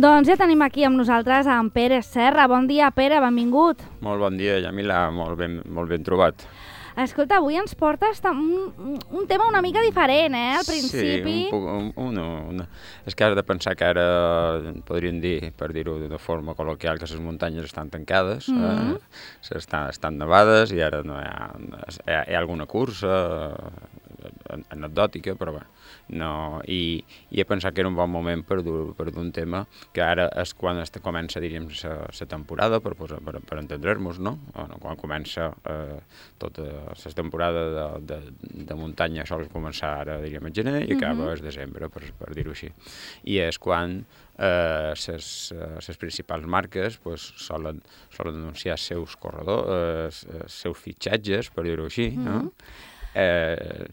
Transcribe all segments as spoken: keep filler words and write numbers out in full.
Doncs ja tenim aquí amb nosaltres en Pere Serra. Bon dia, Pere, benvingut. Molt bon dia, Yamila, molt ben, molt ben trobat. Escolta, avui ens portes un, un tema una mica diferent, eh, al principi. Sí, un, un, un, un, és que has de pensar que ara podríem dir, per dir-ho d'una forma col·loquial, que les muntanyes estan tancades, mm -hmm. eh? estan, estan nevades i ara no hi ha, hi ha, hi ha alguna cursa eh, anecdòtica, però bé. No, i, i he pensat que era un bon moment per dur, per dur un tema que ara és quan es comença, diríem, la temporada, per, per, per entendre-nos, no? Quan comença eh, tota la temporada de, de, de muntanya sol començar ara, diríem, a gener i acaba mm -hmm. el desembre, per, per dir-ho així. I és quan les eh, principals marques pues, solen, solen anunciar els seus corredors, els seus fitxatges, per dir-ho així, mm -hmm. no? Eh,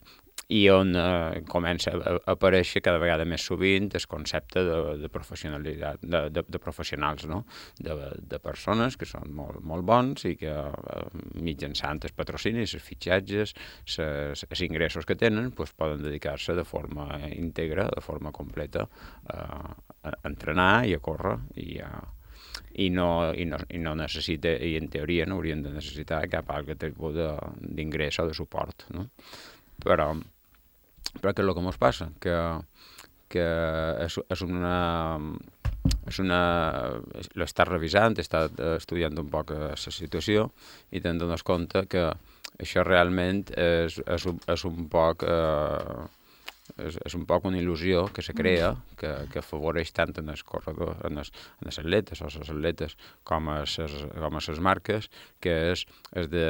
i on eh, comença a aparèixer cada vegada més sovint el concepte de, de professionalitat, de, de, de professionals, no? de, de persones que són molt, molt bons i que eh, mitjançant els patrocinis, els fitxatges, els ingressos que tenen, pues, poden dedicar-se de forma íntegra, de forma completa eh, a entrenar i a córrer i a I no, i, no, i no necessita, i en teoria no haurien de necessitar cap altre tipus d'ingrés o de suport, no? Però, però què és el que ens passa? Que, que és, és una... És una... L'he estat revisant, he estat estudiant un poc la situació i te'n dones compte que això realment és, és, un, és un poc... Eh, És, és un poc una il·lusió que se crea, que, que afavoreix tant en els corredors, en els, en els atletes o les atletes com a les, com a les marques, que és, és de,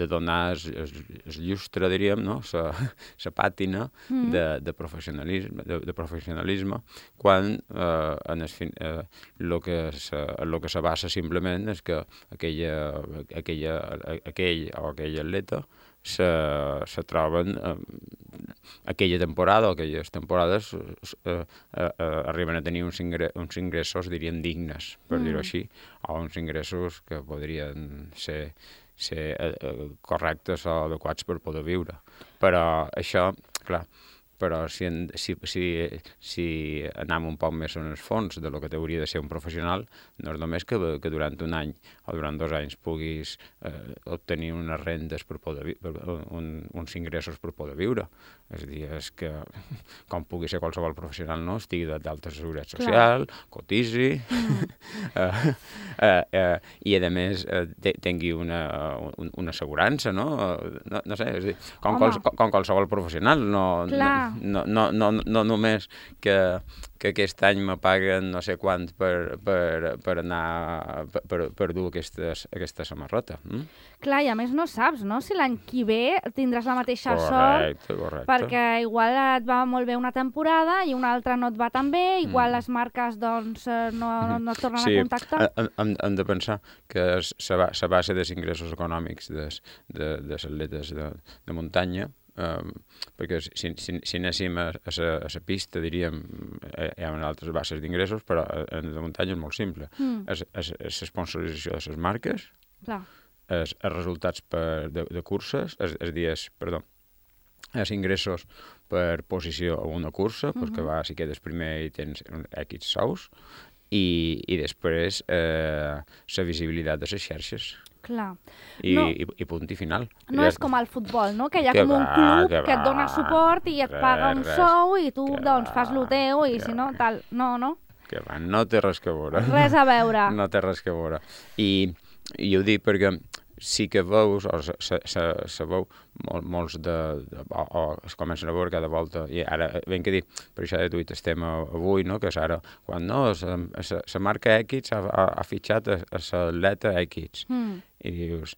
de donar el, el llustre, diríem, no? la pàtina mm. de, de, professionalisme, de, de professionalisme, quan eh, en el, eh, lo que se, lo que se basa simplement és que aquella, aquella, aquell o aquella atleta se, se troben eh, aquella temporada o aquelles temporades eh, eh, eh, arriben a tenir uns, ingre uns ingressos, diríem, dignes, per mm. dir-ho així, o uns ingressos que podrien ser, ser eh, correctes o adequats per poder viure. Però això, clar, però si, en, si, si, si anem un poc més en el fons de lo que hauria de ser un professional, no és només que, que durant un any o durant dos anys puguis eh, obtenir unes rendes per poder per, un, uns ingressos per poder viure. És a dir, és que, com pugui ser qualsevol professional, no? Estigui d'alta seguretat social, cotitzi, mm. eh, eh, eh, i a més eh, tingui una, un, una assegurança, no? No, no sé, és a dir, com, quals, com qualsevol professional, no... Clar. No, no, no, no només que, que aquest any me paguen no sé quant per, per, per anar, per, per dur aquestes, aquesta samarreta. Mm? Clar, i a més no saps, no?, si l'any que ve tindràs la mateixa correcte, sort, correcte. perquè igual et va molt bé una temporada i una altra no et va tan bé, igual mm. les marques doncs no, no et tornen sí, a contactar. Sí, hem, hem de pensar que la base dels ingressos econòmics des, de, de les atletes de, de muntanya, Um, perquè si, si, si anéssim a, a, a la pista, diríem, hi ha altres bases d'ingressos, però en la muntanya és molt simple. Mm. És, és, és l'esponsorització de les marques, clar. És, els resultats per, de, de curses, és, és dir, és, perdó, els ingressos per posició a una cursa, mm -hmm. pues que va, si quedes primer i tens X sous, i, i després eh, la visibilitat de les xarxes. Clar. I, no, i, i punt i final. No I és com al futbol, no? Que hi ha que com un va, club que, que et dona suport i et res, paga un res, sou i tu doncs va, fas lo teu i si no, tal... No, no? Que va, no té res que veure. Res a veure. No té res que veure. I, i ho dic perquè sí que veus, o se, se, se, se veu mol, molts de, de o, o es comencen a veure cada volta, i ara ben que dic, per això de tuit estem avui, no? Que és ara, quan no, la marca X ha, ha, ha fitxat a l'atleta X, mm. i dius,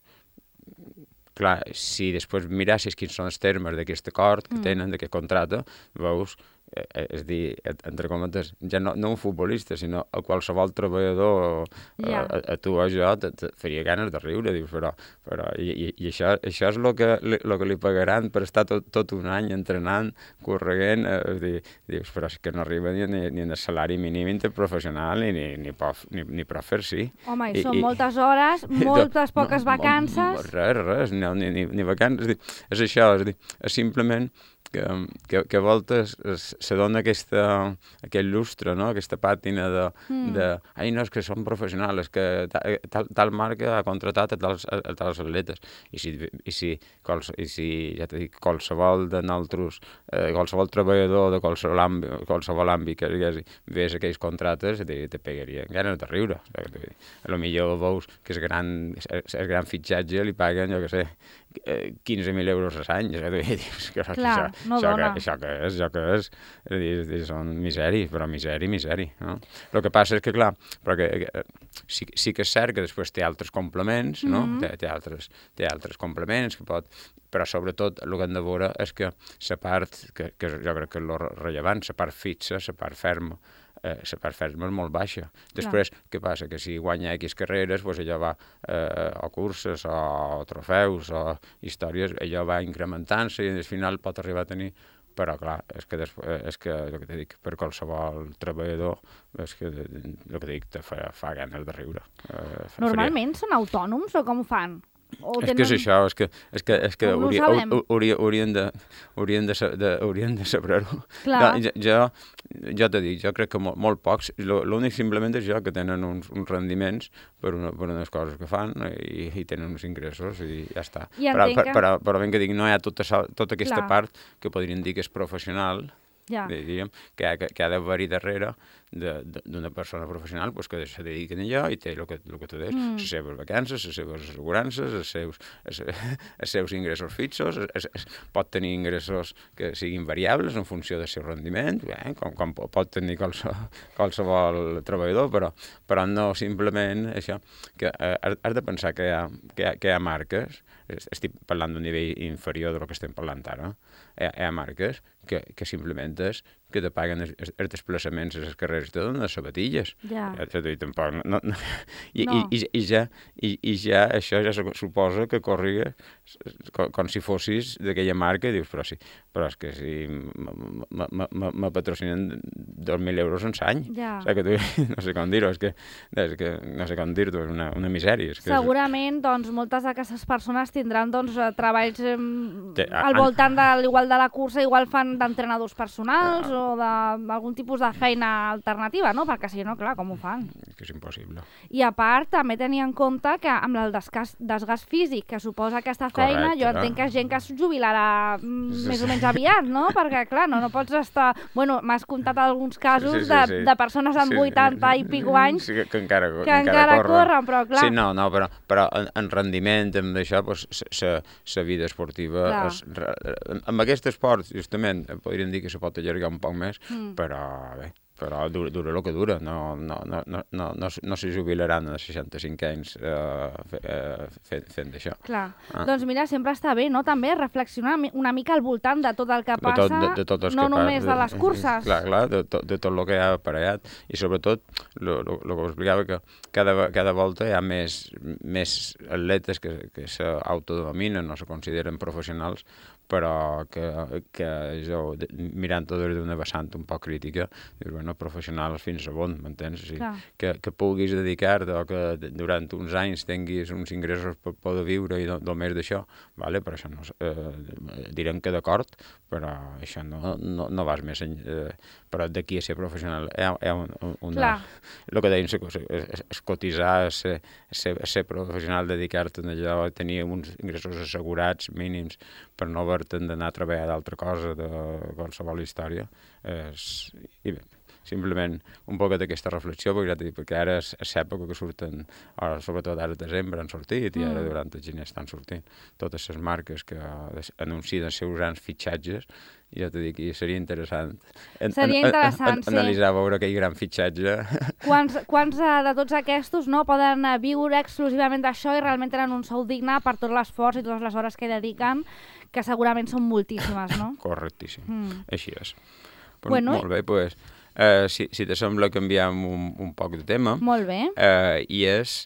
clar, si després mirassis quins són els termes d'aquest acord que mm. tenen, d'aquest contracte, veus, eh, és dir, entre cometes, ja no, no un futbolista, sinó a qualsevol treballador, yeah. a, a tu o jo, te, te faria ganes de riure, dius, però, però i, i, i això, això és el que, lo que li pagaran per estar tot, tot un any entrenant, corregent, eh, és dir, dius, però és que no arriba ni, ni, ni en el salari mínim interprofessional ni, ni, ni, pof, ni, ni per fer-s'hi. Home, i, i són i, moltes hores, moltes poques no, vacances. Res, res, no, ni, ni, ni vacances, és, dir, és això, és, dir, és simplement que, que, que a voltes se dona aquesta, aquest lustre, no? Aquesta pàtina de, mm. de ai, no, és que són professionals, és que tal, tal marca ha contratat a tals, a, a tals atletes. I si, i si, quals, i si ja t'he dit, qualsevol de nosaltres, eh, qualsevol treballador de qualsevol àmbit, qualsevol àmbit que digués, ves aquells contractes, te, te pegaria ganes de riure. A lo millor veus que el gran, el gran fitxatge li paguen, jo què sé, quinze mil euros a l'any. Clar, això, no això, dona. que, això que és, això que és, és, és són miseri, però miseri, miseri. No? El que passa és que, clar, però que, que, sí, sí que és cert que després té altres complements, no? Mm-hmm. té, té, altres, té altres complements que pot... Però sobretot el que hem de veure és que la part, que, que jo crec que és el rellevant, la part fixa, la part ferma, eh, la part ferma és molt baixa. Després, clar. Què passa? Que si guanya X carreres, doncs allò va, eh, o curses, o trofeus, o històries, allò va incrementant-se i al final pot arribar a tenir... Però, clar, és que, després, és que el que t'he dit, per qualsevol treballador, és que el que t'he dit, te fa, fa ganes de riure. Eh, Normalment faria... són autònoms o com ho fan? O és tenen... que és això, és que, és que, és que no hauria, hauria, haurien de, haurien de, de, haurien de saber-ho. No, jo, jo t'he dit, jo crec que molt, molt pocs, l'únic simplement és jo que tenen uns, uns rendiments per, una, per unes coses que fan i, i tenen uns ingressos i ja està. I però, que... però, però ben que dic, no hi ha tota, tota aquesta Clar. part que podrien dir que és professional, ja. diríem, que, ha, que, que ha d'haver-hi darrere d'una persona professional pues, que se dediquen a allò i té el que, el que tu deies, mm. les seves vacances, les seves assegurances, els seus, els, els seus ingressos fixos, es, es, pot tenir ingressos que siguin variables en funció del seu rendiment, eh? com, com pot tenir qualsevol, qualsevol treballador, però, però no simplement això, que eh, has de pensar que hi ha, que hi ha, que hi ha marques, estic parlant d'un nivell inferior del que estem parlant ara, hi ha, hi ha marques que, que simplement és que te paguen els, els desplaçaments a les carreres, te donen les sabatilles. Ja. Ja tampoc, no, no. I, no. I, i, ja, i, I ja això ja suposa que corriga com, com si fossis d'aquella marca i dius, però sí, però és que si me patrocinen dos mil euros en l'any. Ja. O sigui que tu, no sé com dir-ho, és que, és que no sé com dir-ho, és una, una misèria. És que segurament, és... doncs, moltes d'aquestes persones tindran doncs, treballs eh, Té, al an... voltant de l'igual de la cursa, igual fan d'entrenadors personals ja. o d'algun tipus de feina alternativa, no? Perquè si no, clar, com ho fan? Que és impossible. I a part, també tenir en compte que amb el desgast, desgast físic que suposa aquesta feina, correcte, jo entenc que és gent que es jubilarà mm, més o menys aviat, no? Perquè, clar, no, no pots estar... Bueno, m'has contat alguns casos sí, sí, sí, de, sí. de persones amb sí, vuitanta sí, i pico anys sí, que, que encara, que encara, encara corren. corren, però clar... Sí, no, no, però, però en, en rendiment, amb això, pues, la vida esportiva... Es, amb aquest esport, justament, podríem dir que se pot allargar un poc més, mm. però bé, però dura, dura el que dura, no, no, no, no, no, no, no se jubilaran a seixanta-cinc anys eh, fent, fent d'això. Clar, ah. doncs mira, sempre està bé, no?, també reflexionar una mica al voltant de tot el que passa, de tot, de, de tot no que només pa, de, de les curses. Clar, clar, de, to, de tot el que hi ha aparellat, i sobretot, el que us explicava, que cada, cada volta hi ha més, més atletes que, que s'autodominen o se consideren professionals, però que, que jo, mirant-ho d'una vessant un poc crítica, dius, bueno, professionals fins a on, m'entens? O sigui, que, que puguis dedicar-te o que durant uns anys tinguis uns ingressos per poder viure i només d'això, vale? Però això no, eh, direm que d'acord, però això no, no, no vas més enllà, eh, però d'aquí a ser professional hi ha, hi ha una... El que deien, és, és cotitzar, ser, ser, ser professional, dedicar-te a allò, tenir uns ingressos assegurats mínims per no haver-te'n d'anar a treballar d'altra cosa, de qualsevol història, és... I bé, simplement un poc d'aquesta reflexió, perquè, ja dic, perquè ara és, és època que surten, ara, sobretot ara a desembre han sortit i ara durant el gener estan sortint totes les marques que anuncien els seus grans fitxatges, i ja t'ho dic, seria interessant, en, seria interessant en, en, en, analitzar, veure aquell gran fitxatge. Quants, quants de tots aquests no, poden viure exclusivament d'això i realment tenen un sou digne per tot l'esforç i totes les hores que dediquen, que segurament són moltíssimes, no? Correctíssim, mm. així és. Però, bueno, molt bé, doncs... Pues, Uh, si, si te sembla, canviem un, un poc de tema. Molt bé. Uh, I és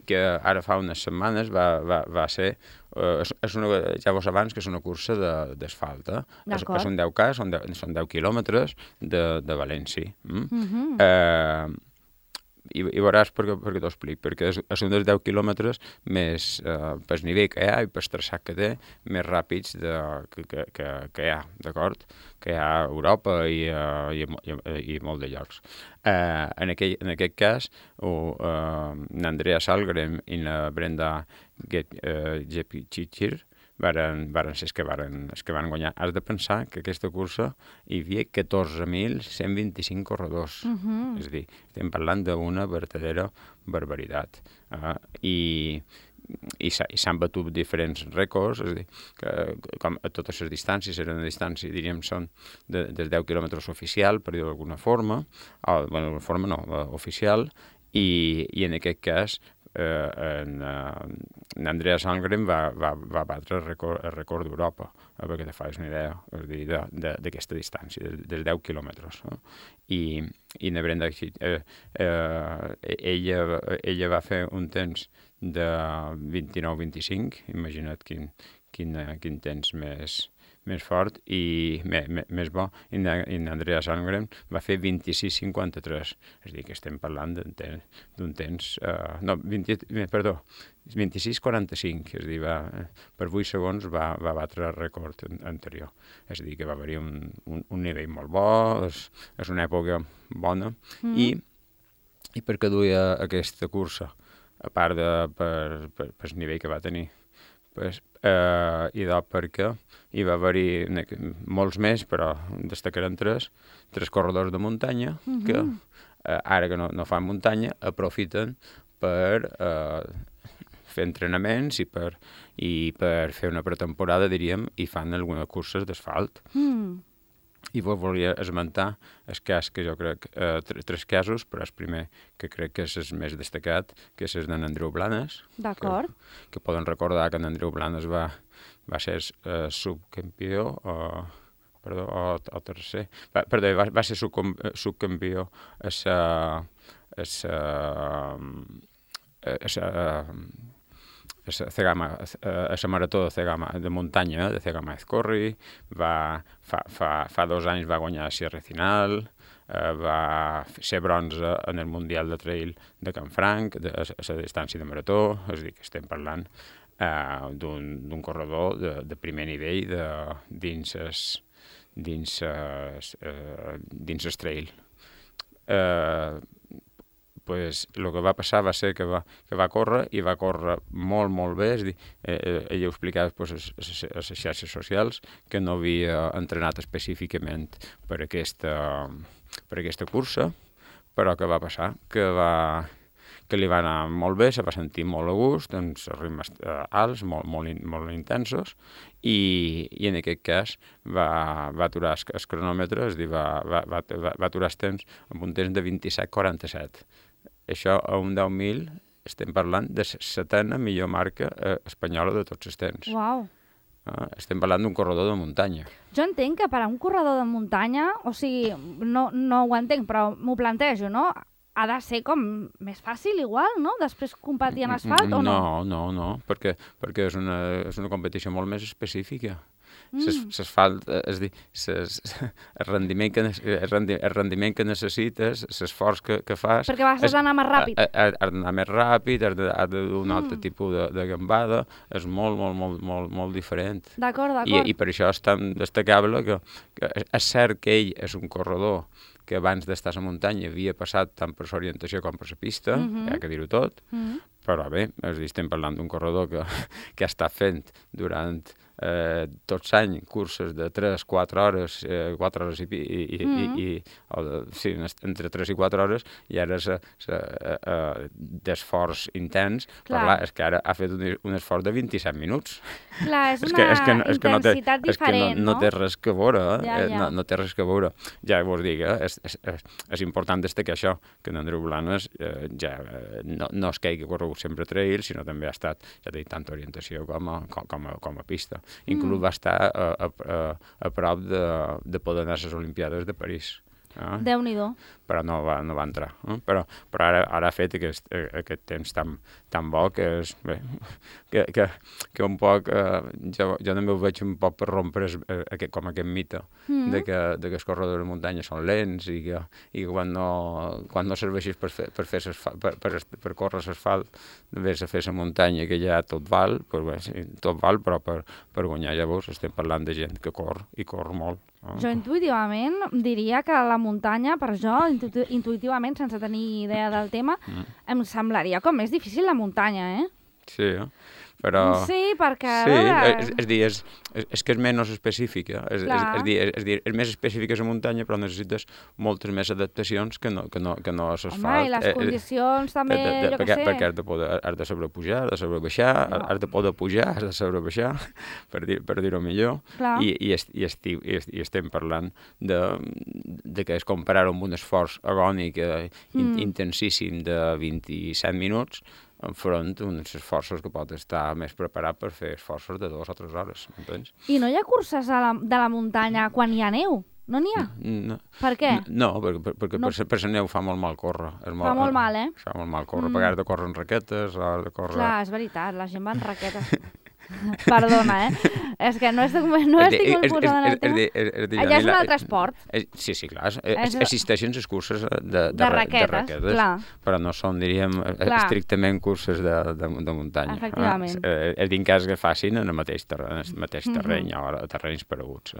que ara fa unes setmanes va, va, va ser, uh, és, és una, ja vos abans, que és una cursa d'asfalt. Eh? És, és un deu K, són deu, són deu quilòmetres de, de València. Mm? Mm-hmm. uh, i, i veuràs per què, per què t'ho explic, perquè és, és un dels deu quilòmetres més, eh, pel nivell que hi ha i pel traçat que té, més ràpids de, que, que, que, que hi ha, d'acord? Que hi ha a Europa i, uh, i, i, i molt de llocs. Uh, en, aquell, en aquest cas, uh, uh, n'Andrea Salgren i la Brenda Gepchichir uh, varen, varen ser els que varen, els que van guanyar. Has de pensar que aquesta cursa hi havia catorze mil cent vint-i-cinc corredors. Uh-huh. És a dir, estem parlant d'una verdadera barbaritat. Uh, I i s'han batut diferents rècords, és a dir, que com a totes les distàncies, eren una distància, diríem, són de, dels deu quilòmetres oficial, per dir-ho d'alguna forma, o, bueno, d'alguna forma no, oficial, i, i en aquest cas, eh, en, en Andrea Sandgren va, va, va batre el rècord, el rècord d'Europa, eh, perquè te fas una idea, és a dir, d'aquesta distància, dels, dels deu quilòmetres. No? I, i na Brenda, eh, eh, ella, ella va fer un temps de vint-i-nou vint-i-cinc, imagina't quin, quin, quin temps més, més fort i me, me, més bo, i n'Andrea Sandgren va fer vint-i-sis cinquanta-tres, és a dir, que estem parlant d'un temps, d'un temps uh, no, vint, perdó, vint-i-sis quaranta-cinc, és a dir, va, per vuit segons va, va batre el rècord anterior, és a dir, que va haver-hi un, un, un nivell molt bo, és, és una època bona, mm. i, i per què duia aquesta cursa? A part de per, per, per el nivell que va tenir. Pues, eh, I de perquè hi va haver-hi molts més, però destacaran tres, tres corredors de muntanya uh-huh. que, eh, ara que no, no fan muntanya, aprofiten per eh, fer entrenaments i per, i per fer una pretemporada, diríem, i fan algunes curses d'asfalt. Mm. I vos volia esmentar el cas que jo crec, eh, tres casos, però el primer que crec que és el més destacat, que és el d'en Andreu Blanes. D'acord. Que, que poden recordar que en Andreu Blanes va, va ser eh, subcampió, o, perdó, o, o tercer, va, perdó, va, va ser subcom, subcampió a sa, a sa, a sa, a Cegama, a la marató de Cegama, de muntanya, de Cegama Ezcorri, va, fa, fa, fa dos anys va guanyar Sierra Final, eh, va ser bronze en el Mundial de Trail de Canfranc, de, a, a la distància de marató, és a dir, que estem parlant eh, d'un corredor de, de primer nivell de, dins es, dins es, eh, dins es trail. Eh, pues, el que va passar va ser que va, que va córrer i va córrer molt, molt bé. És dir, eh, ella ho explicava pues, a les xarxes socials que no havia entrenat específicament per aquesta, per aquesta cursa, però que va passar? Que, va, que li va anar molt bé, se va sentir molt a gust, amb els ritmes alts, molt, molt, molt intensos, i, i en aquest cas va, va aturar el cronòmetre, és dir, va, va, va, va aturar el temps amb un temps de vint-i-set quaranta-set. Això a un deu mil estem parlant de la setena millor marca eh, espanyola de tots els temps. Uau! Eh, estem parlant d'un corredor de muntanya. Jo entenc que per a un corredor de muntanya, o sigui, no, no ho entenc, però m'ho plantejo, no? Ha de ser com més fàcil, igual, no? Després competir en asfalt, o no? No, no, no, perquè, perquè és, una, és una competició molt més específica. S'asfalt, és dir, ses, el, rendiment que, el, rendi, el rendiment que necessites, l'esforç que, que fas... Perquè vas d'anar més ràpid. Has d'anar més ràpid, has de d'un mm. altre tipus de, de gambada, és molt, molt, molt, molt, molt diferent. D'acord, d'acord. I, I per això és tan destacable que, que és cert que ell és un corredor que abans d'estar a la muntanya havia passat tant per l'orientació com per la pista, mm-hmm. hi ha que dir-ho tot, mm-hmm. però bé, és dir, estem parlant d'un corredor que, que ha estat fent durant eh, tots l'any curses de tres quatre hores, eh, quatre hores i, i, i, mm-hmm. i, i o de, sí, entre tres i quatre hores, i ara és eh, d'esforç intens, clar. Però clar, és que ara ha fet un, un esforç de vint-i-set minuts. Clar, és, és una que, és que, és que no té, intensitat és que diferent, no, no té res que veure, eh? Ja, ja. No, no té res que veure. Ja vos dic, eh? és, és, és, és important destacar això, que en Andreu Blanes eh, ja eh, no, no és que hagi corregut sempre trail, sinó també ha estat, ja t'he dit, tant orientació com a, com, com a, com a pista. Inclús mm. va estar a, a, a, a prop de, de poder anar a les Olimpiades de París. Eh? Déu-n'hi-do. Però no va, no va entrar. Eh? Però, però ara, ara ha fet aquest, aquest temps tan, tan bo que és... Bé, que, que, que un poc... Eh, jo, jo també ho veig un poc per rompre es, eh, aquest, com aquest mite mm. de, que, de que els corredors de muntanya són lents i que, i que quan, no, quan no serveixis per, fer, per, fer per, per, per córrer l'asfalt, vés a fer la muntanya que ja tot val, pues bé, sí, tot val, però per, per guanyar llavors estem parlant de gent que corre i corre molt. Ah. Jo intuïtivament diria que la muntanya, per jo, intu intuïtivament, sense tenir idea del tema, mm. em semblaria com més difícil la muntanya, eh? Sí, però... Sí, perquè... Sí, veure... és, és dir, és, és, és que és menys específica. És, és, és, dir, és, és dir, és més específica la muntanya, però necessites moltes més adaptacions que no, que no, que no s'asfalt. Home, i les eh, condicions eh, també, de, de, jo perquè, què sé. Perquè has de, poder, has de saber pujar, has de saber baixar, no. has de poder pujar, has de saber baixar, per dir-ho per dir millor. Clar. I, i, est, i, esti, i, est, i estem parlant de, de que es comparar amb un esforç agònic eh, mm. intensíssim de vint-i-set minuts, enfront d'uns esforços que pot estar més preparat per fer esforços de dues o tres hores, entens? I no hi ha curses a la, de la muntanya quan hi ha neu? No n'hi ha? No. Per què? No, perquè, perquè no. per, per la neu fa molt mal córrer. És molt, fa molt mal, eh? Fa molt mal córrer, mm. perquè has de córrer en raquetes, has de córrer... Clar, és veritat, la gent va en raquetes. Perdona, eh? És que no estic, no estic molt posada en el tema. Allà és un altre esport. Sí, sí, clar. Existeixen les curses de, de raquetes, clar. Però no són, diríem, estrictament curses de, de, de muntanya. Efectivament. És dir, cas que facin en el mateix terreny, en el mateix terreny o a terrenys pareguts.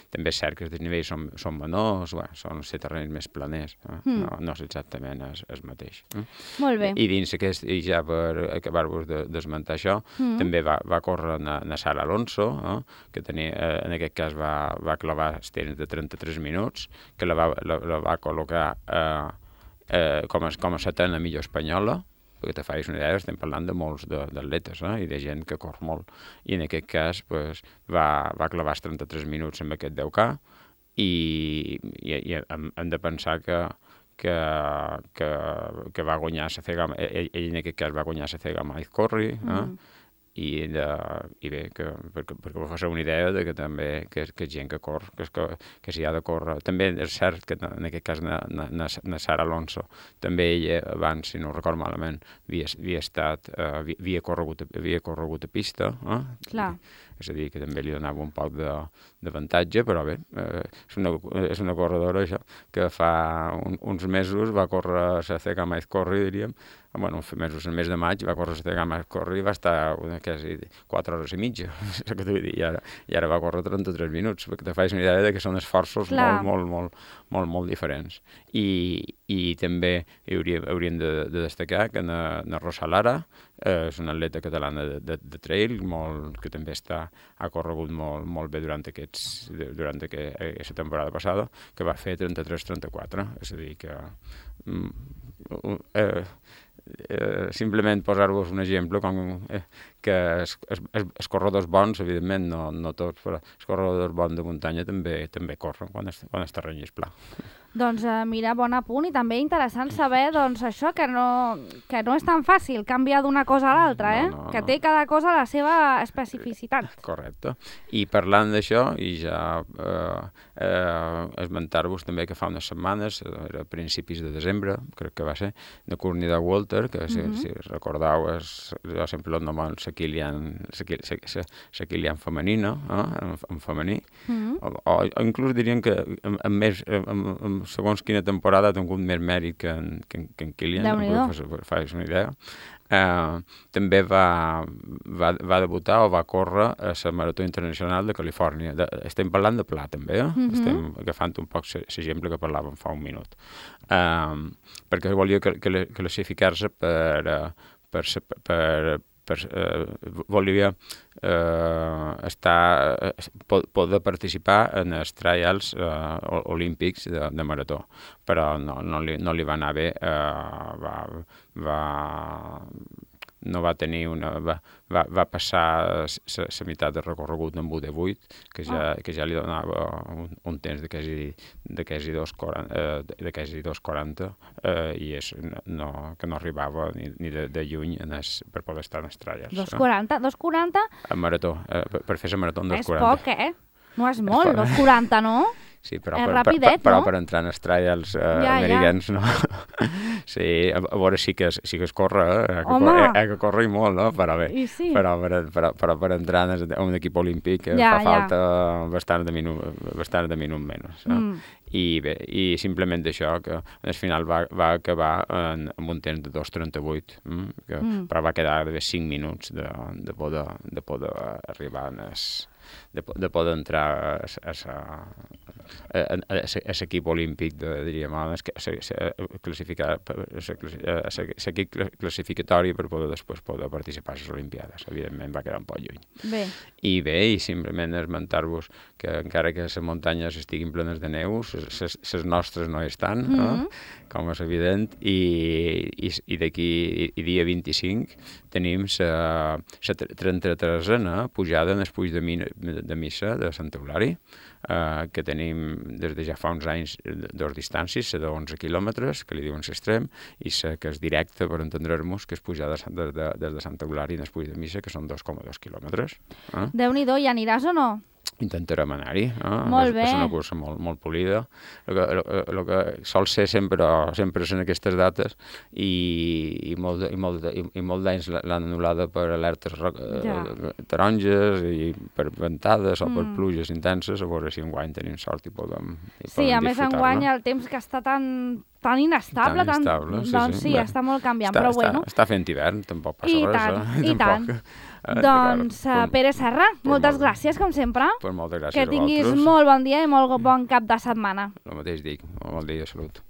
També és cert que els desnivells són, són menors, bueno, són ser terrenys més planers, eh? mm. no, no és exactament el, el mateix. Eh? Molt bé. I dins aquest, i ja per acabar-vos de desmentar això, mm. també va, va córrer na, na Sara Alonso, eh? que tenia, eh, en aquest cas va, va clavar els temps de trenta-tres minuts, que la va, la, la va col·locar eh, eh, com, a, com a setena millor espanyola, perquè te facis una idea, estem parlant de molts d'atletes eh? i de gent que corre molt. I en aquest cas pues, va, va clavar els trenta-tres minuts amb aquest deu K i, i, i hem, hem de pensar que, que, que, que va guanyar la Cega, ell, ell en aquest cas va guanyar la Cega Maiz Corri, eh? mm. I, de, i bé, que, perquè, perquè vos faci una idea de que també que, que gent que corre, que, que, que s'hi ha de córrer. També és cert que en aquest cas na, na, na Sara Alonso, també ella abans, si no ho recordo malament, havia, havia estat, uh, havia, havia, corregut, havia corregut a pista, eh? Clar. És a dir, que també li donava un poc d'avantatge, però bé, eh, és, una, és una corredora, això, que fa un, uns mesos va córrer la Cega Maiz Corri, diríem, bueno, uns mesos, el mes de maig, va córrer la Cega Maiz Corri i va estar una, quasi quatre hores i mitja, que t'ho vull dir, i ara, i ara va córrer trenta-tres minuts, perquè te fas una idea de que són esforços molt, molt, molt, molt, molt diferents. I, i també hauríem, hauríem de, de destacar que na, na Rosa Lara eh, és una atleta catalana de, de, de trail, molt, que també està, ha corregut molt, molt bé durant, aquests, durant aquesta temporada passada, que va fer trenta-tres trenta-quatre, és a dir, que mm, eh, eh, simplement posar-vos un exemple com eh, que els, els, els corredors bons, evidentment, no, no tots, però els corredors bons de muntanya també també corren quan el, quan el terreny és pla. Doncs uh, mira, bon apunt, i també interessant saber doncs, això, que no, que no és tan fàcil canviar d'una cosa a l'altra, eh? No, no, que té cada cosa la seva especificitat. Correcte. I parlant d'això, i ja eh, eh, esmentar-vos també que fa unes setmanes, era a principis de desembre, crec que va ser, de Courtney Dauwalter, que si, mm-hmm. si recordeu, és, jo sempre el nom la Kilian, la Kilian femenina, eh? en, en femení, mm-hmm. o, o, o inclús dirien que amb, amb més... Amb, amb, segons quina temporada ha tingut més mèrit que en, que en, que en Kilian, per fer una idea. Uh, també va, va, va debutar o va córrer a la Marató Internacional de Califòrnia. De, estem parlant de pla, també, eh? Mm-hmm. Estem agafant un poc l'exemple que parlàvem fa un minut. Uh, perquè volia classificar-se per, per, per, per eh, volia eh, estar, eh, poder participar en els trials eh, olímpics de, de marató, però no, no, li, no li va anar bé, eh, va, va, no va tenir una... va, va, va passar la meitat de recorregut amb u divuit, que ja, oh. que ja li donava un, un temps de quasi, de quasi dos quaranta, eh, i és, no, que no arribava ni, ni de, de lluny en es, per poder estar en els trials. dos quaranta? dos quaranta? A marató, eh, per, per fer la marató en dos és quaranta. És poc, eh? No és molt, dos quaranta, no? Sí, però, és per, rapidet, per, però no? per entrar en els trials uh, Ja, americans, no? Sí, a, a veure, sí que, sí que es corre, eh? Que Home! corre, eh, que corre i molt, no? Però bé, I sí. però, per, però, però per entrar en un equip olímpic eh, Ja, fa ja. falta bastant de minut, bastant de minut menys. No? Mm. I bé, i simplement això, que al final va, va acabar en, en un temps de dos trenta-vuit, mm? Que, Mm. però va quedar de cinc minuts de, de, poder, de poder arribar en es, de, de poder entrar a, a, a, a, a, a l'equip olímpic, de, diríem, a classificar l'equip classificatori per poder després poder participar a les Olimpiades. Evidentment va quedar un poc lluny. Bé. I bé, i simplement esmentar-vos que encara que les muntanyes estiguin plenes de neu, les nostres no estan, mm -hmm. eh? Com és evident, i, i, i d'aquí i, i dia vint-i-cinc tenim la trenta-tresena pujada en el puig de, mi, de missa de Sant Eulari, eh, que tenim des de ja fa uns anys dos distàncies, la d'onze quilòmetres, que li diuen l'extrem, i la que és directa, per entendre-nos, que és pujar de, de, de, des de Sant Eulari en el puig de missa, que són dos coma dos quilòmetres. Eh? Déu-n'hi-do, hi aniràs o no? Intentarem anar-hi. Eh? Molt bé. És una cursa molt, molt polida. El que, el, el que sol ser sempre, sempre en aquestes dates i, i molt, de, i molt, de, i molt d'anys l'han anul·lada per alertes ja. taronges i per ventades o mm. per pluges intenses, a veure si enguany tenim sort i podem, i sí, podem a més enguany el temps que està tan, tan inestable, tan inestable, tan, sí, doncs sí, sí, bé. està molt canviant, està, però està, bueno. Està fent hivern, tampoc passa I res. tant, eh? i tant. Eh, doncs, uh, Pere Serra, pues moltes molt, gràcies, com sempre. Pues moltes gràcies que tinguis a vosaltres. molt bon dia i molt bon cap de setmana. El mateix dic, bon dia de salut.